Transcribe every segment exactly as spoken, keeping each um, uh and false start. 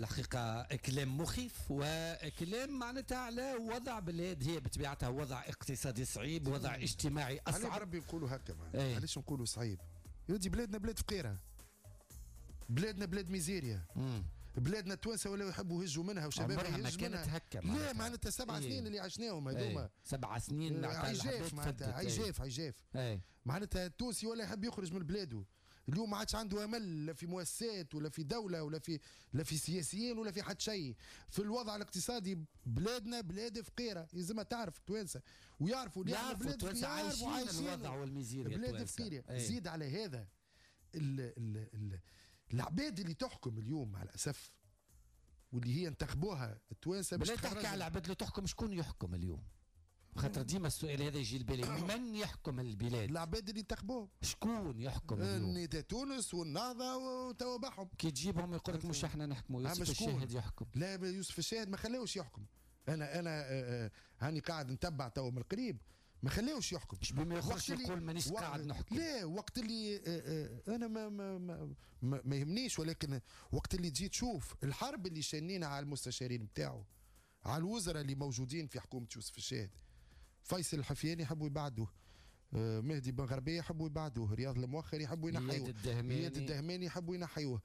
الحقيقة كلام مخيف وكلام معناتها على وضع بلاد هي بطبيعتها وضع اقتصادي صعيب، وضع اجتماعي اصعب. علاش ربي نقولوا هكا معناتها؟ علاش نقولوا صعيب؟ يا ودي بلادنا بلاد فقيرة، بلادنا بلاد ميزيريا، مم. بلادنا التوانسة ولاو يحبوا يهجوا منها وشبابها يهجوا منها. كانت هكا لا معناتها سبع إيه. سنين اللي عشناهم هذوما إيه. سبع سنين عجاف معناتها عجاف عجاف إيه. معناتها التونسي ولا يحب يخرج من بلاده. اليوم ما عادش عنده امل لا في مؤسسات ولا في دولة ولا في لا في سياسيين ولا في حد شيء. في الوضع الاقتصادي بلادنا بلاد فقيرة، لازم تعرف التوانسة ويعرفوا يعرفوا التوانسة عايشين الوضع والميزيريا، بلاد فقيرة. ايه. زيد على هذا ال ال ال العباد اللي تحكم اليوم مع الاسف واللي هي انتخبوها التوانسة. باش تحكي على العباد اللي تحكم، شكون يحكم اليوم؟ خاطر ديما السؤال هذا يجي لبالي، من يحكم البلاد؟ العباد اللي انتخبوهم. شكون يحكم اليوم؟ نداء تونس والنهضه وتوابعهم. كي تجيبهم يقول لك مش احنا نحكموا، يوسف الشاهد يحكم. لا يوسف الشاهد ما خلاوش يحكم. انا انا هاني قاعد نتبع تو من القريب، ما خلاوش يحكم. مش بما يخرج يقول مانيش قاعد نحكم. لا وقت اللي انا ما ما ما, ما, ما يهمنيش، ولكن وقت اللي تجي تشوف الحرب اللي شنينا على المستشارين نتاعو، على الوزراء اللي موجودين في حكومة يوسف الشاهد، فيصل الحفياني يحبوا يبعدوه، مهدي بن غربية يحبوا يبعدوه، رياض المؤخر يحبوا ينحيوه، اياد الدهماني يحبوا ينحيوه،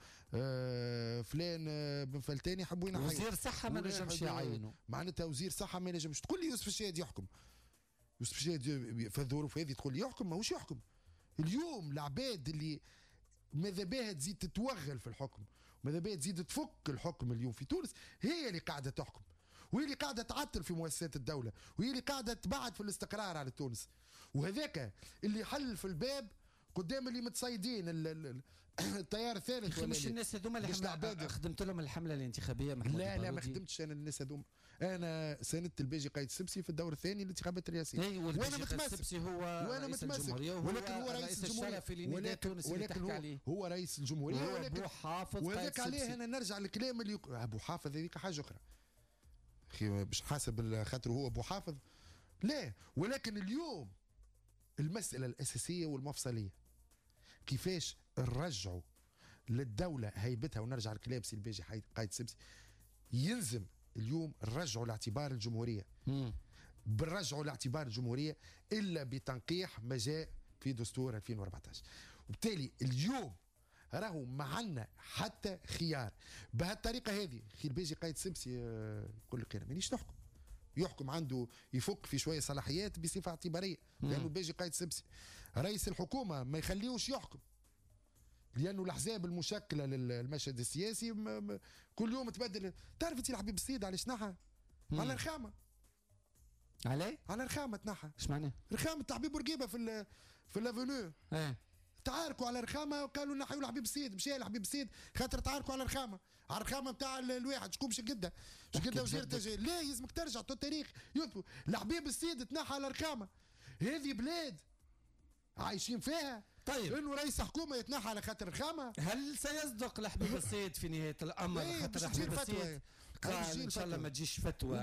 فلان بن فلتاني يحبوا ينحيوه، وزير صحة ما نجمش يعينه. معناتها وزير صحة ما نجمش. تقول لي يوسف الشاهد يحكم، يوسف الشاهد في الظروف هذه تقول لي يحكم؟ ماهوش يحكم. اليوم العباد اللي ماذا بها تزيد تتوغل في الحكم، ماذا بها تزيد تفك الحكم اليوم في تونس، هي اللي قاعدة تحكم، وهي اللي قاعدة تعطل في مؤسسات الدولة، وهي اللي قاعدة تبعد في الاستقرار على تونس. وهذاك اللي حل في الباب قدام اللي متصيدين التيار الثالث. ولا مش الناس هذوما اللي خدمت لهم الحملة الانتخابية محمود؟ لا لا ما خدمتش انا الناس هذوما. انا ساندت الباجي قايد السبسي في الدور الثاني للانتخابات الرئاسية. اي وانا متمسك. هو وانا متمسك، ولكن هو رئيس الجمهورية، ولكن ولكن هو, هو رئيس الجمهورية، ولكن ابو حافظ. وهذاك عليه انا نرجع للكلام اللي ابو حافظ هذيك حاجة اخرى اخي، باش حاسب خاطر هو ابو حافظ. لا، ولكن اليوم المسالة الاساسية والمفصليه كيفاش نرجعوا للدولة هيبتها. ونرجع لكلام سي الباجي قايد السبسي، يلزم اليوم نرجعوا لاعتبار الجمهورية. بنرجعوا لاعتبار الجمهورية الا بتنقيح ما جاء في دستور ألفين وأربعطاش. وبالتالي اليوم راهو ما عندنا حتى خيار بهالطريقة هذه. خير الباجي قايد السبسي يقول لك انا مانيش نحكم، يحكم عنده يفك في شوية صلاحيات بصفة اعتباريه، لانه الباجي قايد السبسي رئيس الحكومة ما يخليوش يحكم، لانه الاحزاب المشكلة للمشهد السياسي كل يوم تبدل. تعرف انت الحبيب السيد علاش نحى؟ على رخامه. على على رخامه تنحى. اش معناه؟ رخامه الحبيب بورقيبة في ال في l'avenue. اه تعاركوا على رخامه وقالوا نحيوا الحبيب السيد، مشى الحبيب السيد خاطر تعاركوا على رخامه، على الرخامه نتاع الواحد شكون باش يقدها؟ باش يقدها وزير التجارة؟ لا يلزمك ترجع التاريخ يثبت الحبيب السيد تنحى على رخامه. هذه بلاد عايشين فيها. طيب انه رئيس حكومة يتنحى على خاطر رخامه، هل سيصدق الحبيب السيد في نهاية الامر؟ خاطر الحبيب السيد قال ان شاء الله ما تجيش فتوى.